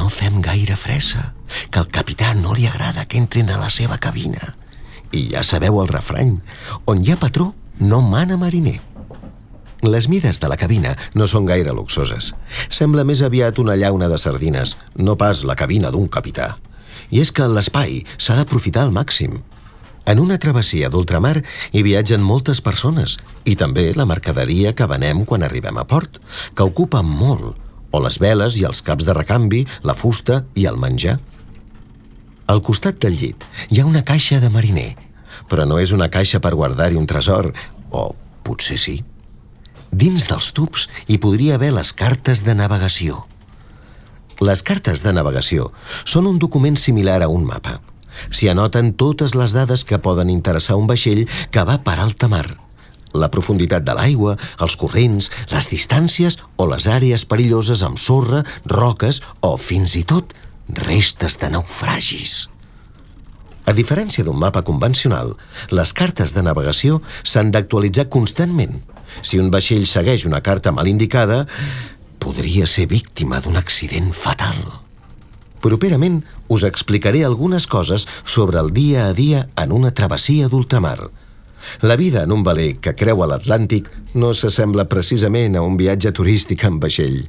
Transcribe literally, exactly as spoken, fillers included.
no fem gaire fressa, que al capità no li agrada que entrin a la seva cabina. I ja sabeu el refrany, on hi ha patró, no mana mariner. Les mides de la cabina no són gaire luxoses. Sembla més aviat una llauna de sardines, no pas la cabina d'un capità. I és que l'espai s'ha d'aprofitar al màxim. En una travessia d'ultramar hi viatgen moltes persones i també la mercaderia que venem quan arribem a port, que ocupa molt, o les veles i els caps de recanvi, la fusta i el menjar. Al costat del llit hi ha una caixa de mariner, però no és una caixa per guardar-hi un tresor, o potser sí. Dins dels tubs hi podria haver les cartes de navegació. Les cartes de navegació són un document similar a un mapa. S'hi anoten totes les dades que poden interessar un vaixell que va per alta mar. La profunditat de l'aigua, els corrents, les distàncies o les àrees perilloses amb sorra, roques o, fins i tot, restes de naufragis. A diferència d'un mapa convencional, les cartes de navegació s'han d'actualitzar constantment. Si un vaixell segueix una carta mal indicada, podria ser víctima d'un accident fatal. Properament us explicaré algunes coses sobre el dia a dia en una travessia d'ultramar. La vida en un veler que creua l'Atlàntic no s'assembla precisament a un viatge turístic en vaixell.